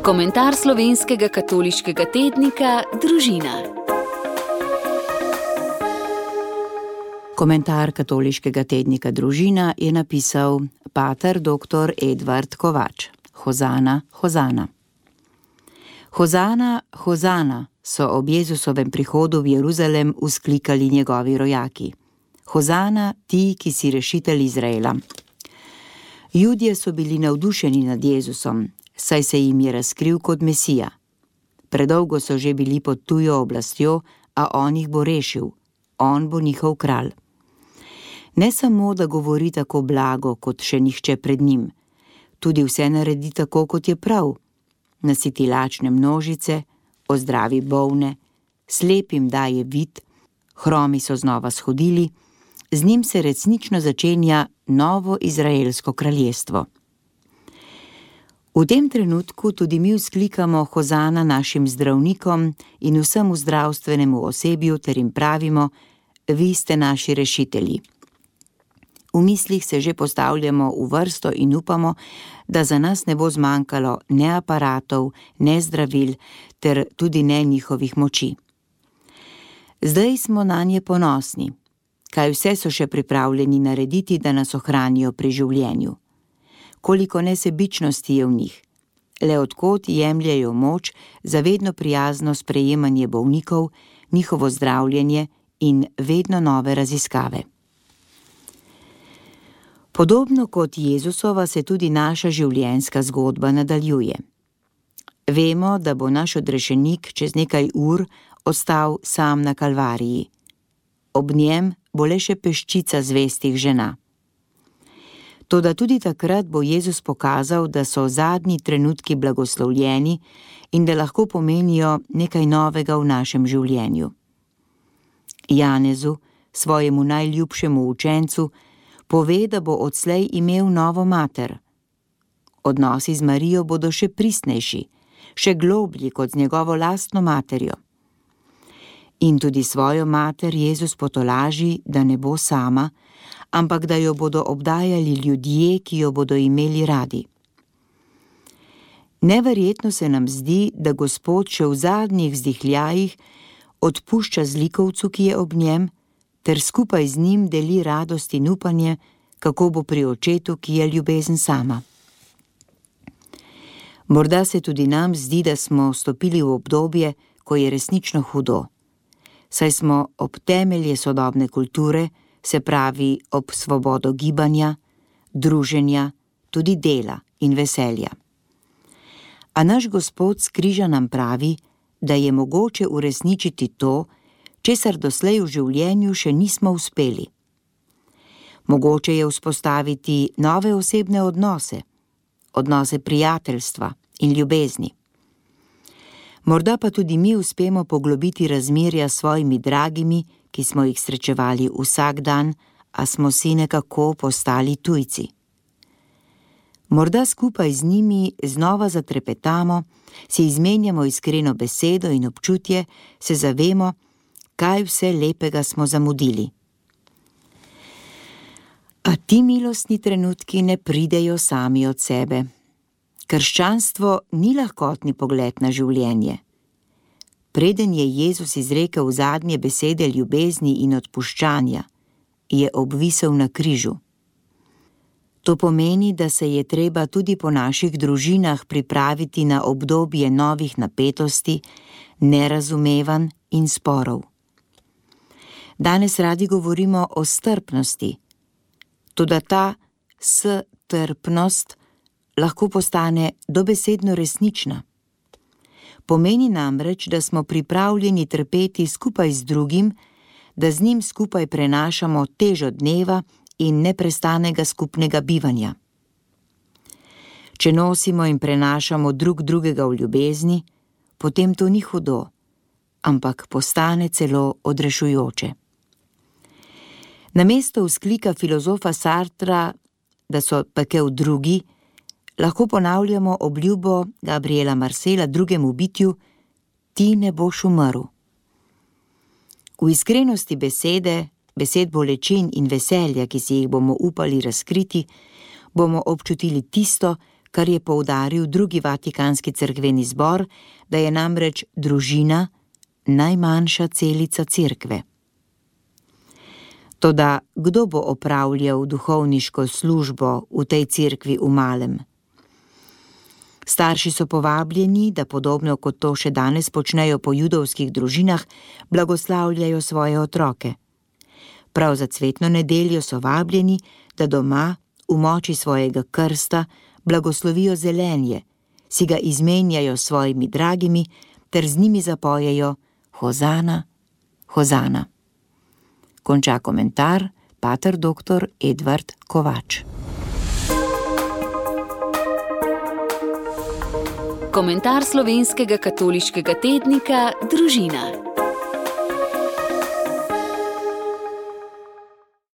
Komentar slovenskega katoliškega tednika Družina. Komentar katoliškega tednika Družina je napisal pater dr. Edvard Kovač. Hozana, hozana. Hozana, hozana, so ob Jezusovem prihodu v Jeruzalem vzklikali njegovi rojaki. Hozana, ti, ki si rešitelj Izraela. Judje so bili navdušeni nad Jezusom, saj se jim je razkril kot Mesija. Predolgo so že bili pod tujo oblastjo, a on jih bo rešil. On bo njihov kralj. Ne samo, da govori tako blago, kot še nihče pred njim, tudi vse naredi tako, kot je prav. Nasiti lačne množice, ozdravi bolne, slepim daje vid, hromi so znova shodili, z njim se resnično začenja novo izraelsko kraljestvo. V tem trenutku tudi mi vzklikamo hozana našim zdravnikom in vsemu zdravstvenemu osebju ter jim pravimo: vi ste naši rešitelji. V mislih se že postavljamo v vrsto in upamo, da za nas ne bo zmanjkalo ne aparatov, ne zdravil ter tudi ne njihovih moči. Zdaj smo nanje ponosni. Kaj vse so še pripravljeni narediti, da nas ohranijo pri življenju? Koliko nesebičnosti je v njih? Le od kod jemljejo moč za vedno prijazno sprejemanje bolnikov, njihovo zdravljenje in vedno nove raziskave. Podobno kot Jezusova se tudi naša življenjska zgodba nadaljuje. Vemo, da bo naš odrešenik čez nekaj ur ostal sam na Kalvariji. Ob njem bo le še peščica zvestih žena. Toda tudi takrat bo Jezus pokazal, da so zadnji trenutki blagoslovljeni in da lahko pomenijo nekaj novega v našem življenju. Janezu, svojemu najljubšemu učencu, pove, da bo odslej imel novo mater. Odnosi z Marijo bodo še pristnejši, še globlji kot z njegovo lastno materjo. In tudi svojo mater Jezus potolaži, da ne bo sama, ampak da jo bodo obdajali ljudje, ki jo bodo imeli radi. Neverjetno se nam zdi, da Gospod še v zadnjih vzdihljajih odpušča zlikovcu, ki je ob njem, ter skupaj z njim deli radost in upanje, kako bo pri očetu, ki je ljubezen sama. Morda se tudi nam zdi, da smo vstopili v obdobje, ko je resnično hudo, saj smo ob temelje sodobne kulture, se pravi ob svobodo gibanja, druženja, tudi dela in veselja. A naš Gospod s križa nam pravi, da je mogoče uresničiti to, česar doslej v življenju še nismo uspeli. Mogoče je vzpostaviti nove osebne odnose, odnose prijateljstva in ljubezni. Morda pa tudi mi uspemo poglobiti razmerja s svojimi dragimi, ki smo jih srečevali vsak dan, a smo si nekako postali tujci. Morda skupaj z njimi znova zatrepetamo, si izmenjamo iskreno besedo in občutje, se zavemo, kaj vse lepega smo zamudili. A ti milostni trenutki ne pridejo sami od sebe. Krščanstvo ni lahkotni pogled na življenje. Preden je Jezus izrekel zadnje besede ljubezni in odpuščanja, je obvisel na križu. To pomeni, da se je treba tudi po naših družinah pripraviti na obdobje novih napetosti, nerazumevanj in sporov. Danes radi govorimo o strpnosti, toda ta strpnost lahko postane dobesedno resnična. Pomeni namreč, da smo pripravljeni trpeti skupaj z drugim, da z njim skupaj prenašamo težo dneva in neprestanega skupnega bivanja. Če nosimo in prenašamo drug drugega v ljubezni, potem to ni hudo, ampak postane celo odrešujoče. Namesto vzklika filozofa Sartra, da so pekel drugi, lahko ponavljamo obljubo Gabriela Marcela drugemu bitju: ti ne boš umrl. V iskrenosti besed bolečin in veselja, ki si jih bomo upali razkriti, bomo občutili tisto, kar je poudaril drugi vatikanski cerkveni zbor, da je namreč družina najmanjša celica cerkve. Toda kdo bo opravljal duhovniško službo v tej cerkvi v malem? Starši so povabljeni, da podobno kot to še danes počnejo po judovskih družinah, blagoslavljajo svoje otroke. Prav za cvetno nedeljo so vabljeni, da doma v moči svojega krsta blagoslovijo zelenje, si ga izmenjajo s svojimi dragimi ter z njimi zapojejo Hozana, Hozana. Konča komentar pater dr. Edvard Kovač. Komentar slovenskega katoliškega tednika Družina.